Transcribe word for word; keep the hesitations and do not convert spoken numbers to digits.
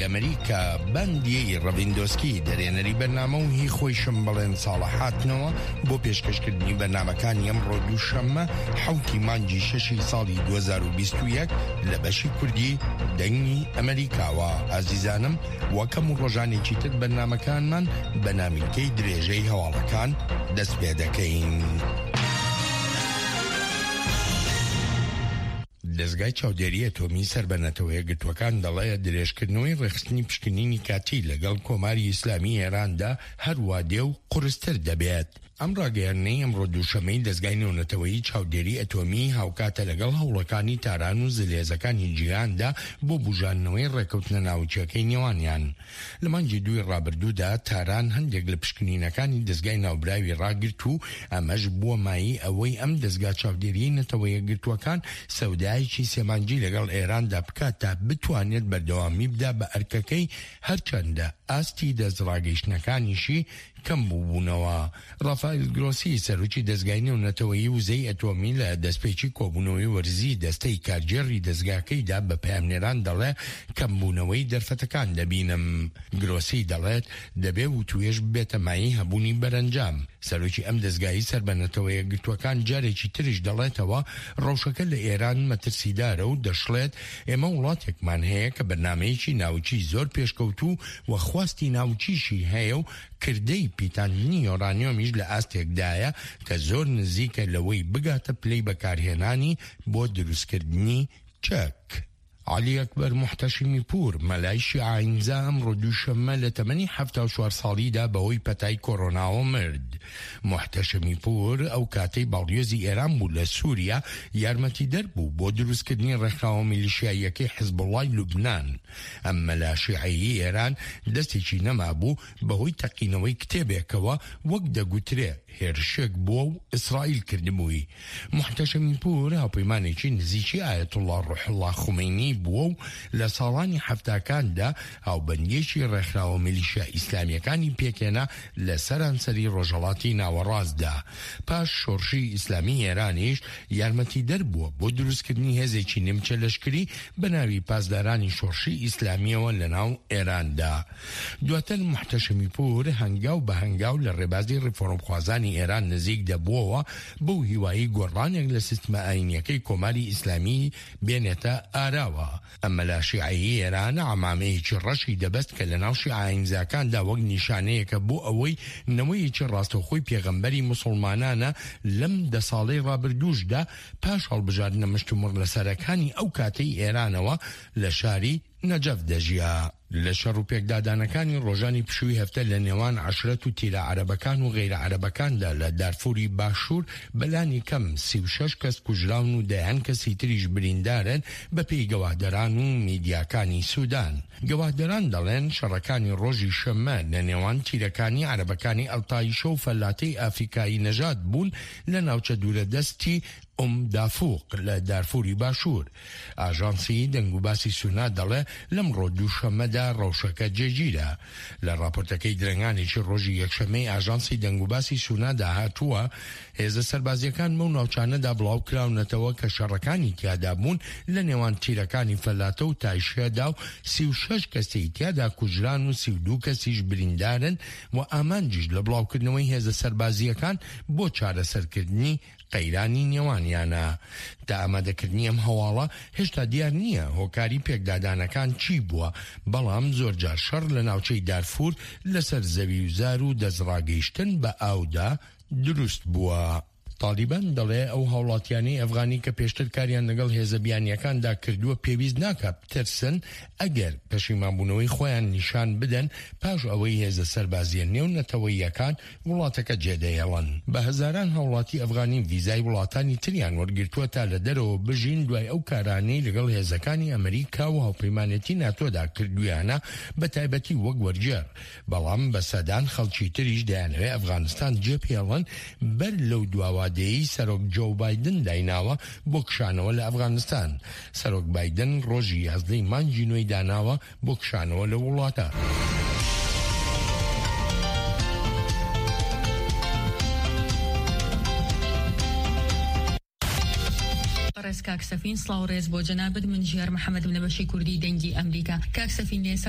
دەنگی ئەمریکا بەندیی ڕەڤیندۆسکی دەرێنەری بەرنامە و هی خۆیشم بەڵێن ساڵە هاتنەوە بۆ پێشکەشکردنی بەرنامەکانی ئەمڕۆ دووشەممە حەوتی مانگی شەشی ساڵی دوو هەزار و بیست و یەک لە بەشی کوردی دەنگی ئەمریکاوە. ئازیزانم وەک هەموو ڕۆژانێکی تر بەرنامەکانمان بە نامیلکەی درێژەی هەواڵەکان دەست پێ دەکەین. دەزگای چاودێری ئەتۆمی سەر بە نەتەوە یەکگرتووەکان دەڵێ درێژکردنەوەی ڕێکخستنی پشکنینی کاتی لەگەڵ کۆماری ئیسلامی ئێراندا هەروا دێ و قورستر دەبێت. ئەم ڕاگەیاندنەی ئەمڕۆ دووشەممەی دەزگای نێونەتەوەیی چاودێری ئەتۆمی هاوکاتە لەگەڵ هەوڵەکانی تاران و زلهێزەکانی جیهاندا بۆ بوژاندنەوەی ڕێکەوتنە ناوکیەکەی نێوانیان. لە مانگی دووی ڕابردوودا تاران هەندێک لە پشکنینەکانی دەزگای ناوبراوی ڕاگرت و ئەمەش بووە مایەی ئەوەی ئەم دەزگا چاودێریەی نەتەوە یەکگرتووەکان سەودایەکی سێ مانگی لەگەڵ ئێراندا بکات تا بتوانێت بەردەوامی بدا بە ئەرکەکەی، هەرچەندە ئاستی دەستڕاگەیشتنەکانیشی کەم بووبوونەوە. ڕافائیل گرۆسی سەرۆکی دەزگای نێونەتەوەیی وزەی ئەتۆمی لە دەستپێکی کۆبوونەوەی وەرزی دەستەی کارگێڕی دەزگاکەیدا بە پەیامنێران دەڵێ کەمبوونەوەی دەرفەتەکان دەبینم. گرۆسی دەڵێت دەبێ وتوێژ ببێتە مایەی هەبوونی بەرەنجام. سەرۆکی ئەم دەزگایی سەر بە نەتەوە یەکگرتووەکان جارێکی تریش دەڵێتەوە ڕەوشەکە لە ئێران مەترسیدارە و دەشڵێت ئێمە وڵاتێکمان هەیە کە بەرنامەیەکی ناوکی زۆر پێشکەوتوو و خواستی ناوکیشی هەیە و کردەی پیتاندنی یۆرانیۆمیش لە ئاستێکدایە کە زۆر نزیکە لەوەی بگاتە پلەی بەکارهێنانی بۆ دروستکردنی چەک. عەلی ئەکبەر موحتەشیمی پوور، مەلای شیعە ئایینزا ئەمڕۆ دووشەممە لە تەمەنی حەفتا و چوار ساڵیدا بەهۆی پەتای کۆرۆناوە مرد. موحتەشەمی پوور ئەو کاتەی باڵیۆزی ئێران بوو لە سووریا، یارمەتیدەر بوو بۆ دروستکردنی ڕێکخراوە میلیشیاییەکەی حزبوڵڵای لوبنان. ئەم مەلا شیعەیەی ئێران دەستێکی نەمابوو بەهۆی تەقینەوەی کتێبێکەوە وەک دەگوترێ هێرشێک بووە و ئیسرائیل کردبووی. موحتەشەمی پوور هاوپەیمانێکی نزیکی ئایەتوڵڵا ڕوحوڵڵا خومەینی بووە و لە ساڵانی حەفتاکاندا هاوبەندییەکی ڕێکخراوە میلیشیا ئیسلامییەکانی پێکهێنا لە سەرانسەری ڕۆژهەڵاتی ناوەڕاستدا. پاش شۆڕشی ئیسلامی ئێرانیش یارمەتیدەر بووە بۆ دروستکردنی هێزێکی نیمچە لەشکری بە ناوی پاسدارانی شۆڕشی ئیسلامییەوە لەناو ئێراندا. دواتر موحتەشەمی پوور هەنگاو بە هەنگاو لە ڕێبازی ڕیفۆرمخوازانی ئێران نزیک دەبووەوە بەو هیوایەی گۆڕانێک لە سیستمە ئایینییەکەی کۆماری ئیسلامی بێنێتە ئاراوە. ئەم مەلا شیعەیەی ئێران عەمامەیەکی ڕەشی دەبەست کە لەناو شیعە ئایینزاکاندا وەک نیشانەیەکە بۆ ئەوەی نەوەیەکی ڕاستەوخۆی پێغەمبەری موسڵمانانە لەم دە ساڵەی ڕابردووشدا پاش هەڵبژاردنە مشتومڕ لەسەرەکانی ئەو کاتەی ئێرانەوە لە شاری نەجەف دەژیا. لە شەڕ و پێکدادانەکانی ڕۆژانی پشووی هەفتە لە نێوان عەشرەت و تیرە عەرەبەکان و غەیرە عەرەبەکاندا لە دارفوری باشوور بە لانی کەم سی و شەش کەس کوژراون و دەیان کەسی تریش بریندارن بەپێی گەواهدەران و میدیاکانی سودان. گەواهدەران دەڵێن شەڕەکانی ڕۆژی شەممە لە نێوان تیرەکانی عەرەبەکانی ئەلتایشە و فەلاتەی ئافریکایی نەژاد بوون لە ناوچە دوورەدەستی ئوم دافوق لە دارفوری باشوور. ئاژانسی دەنگوباسی سونا دەڵێ لەمڕۆ دووشەممەدا ڕەوشەکە جێگیرە. لە ڕاپۆرتەکەی درەنگانێکی ڕۆژی یەکشەممەی ئاژانسی دەنگوباسی سونادا هاتووە هێزە سەربازییەکان بەو ناوچانەدا بڵاوکراونەتەوە کە شەڕەکانی تیادا بوون لە نێوان تیرەکانی فەلاتە و تایشەدا و سی و شەش کەسی تیادا کوژران و سی و دوو کەسیش بریندارن و ئامانجیش لە بڵاوکردنەوەی هێزە سەربازییەکان بۆ چارەسەرکردنی قەیرانی نێوانیانە. تا ئامادەکردنی ئەم هەواڵە هێشتا دیار نییە هۆکاری پێکدادانەکان چی بووە، بەڵام زۆرجار شەڕ لە ناوچەی دارفور لەسەر زەوی و زار و دەستڕاگەیشتن بە ئاودا دروست بووە. تاڵیبان دەڵێ ئەو هاوڵاتیانەی ئەفغانی کە پێشتر کاریان لەگەڵ هێزە بیانییەکاندا کردووە پێویست ناکا بترسن ئەگەر پەشیمانبوونەوەی خۆیان نیشان بدەن پاش ئەوەی هێزە سەربازییە نێونەتەوەییەکان وڵاتەکە جێدەهێڵن. بە هەزاران هاوڵاتی ئەفغانی ڤیزای وڵاتانی تریان وەرگرتووە تا لە دەرەوە بژین دوای ئەو کارانەی لەگەڵ هێزەکانی ئەمریکا و هاوپەیمانێتی ناتۆدا کردوویانە بە تایبەتی وەک وەرگێڕ، بەڵام بە سەدان خەڵکی تریش دەیانەوێت ئەفغانستان جێبهێڵن بەر لەو دواوادەیەی سەرۆک جۆو بایدن دایناوە بۆ کشانەوە لە ئەفغانستان. سەرۆک بایدن ڕۆژی یازدە ی مانگی نۆی داناوە بۆ کشانەوە لەو وڵاتە. بەڕێز کاک سەفین سڵاو ڕێز بۆ جەنابت من ژیار محەمەدم لە بەشی کوردی دەنگی ئەمریکا کاک سەفین لە ئێستا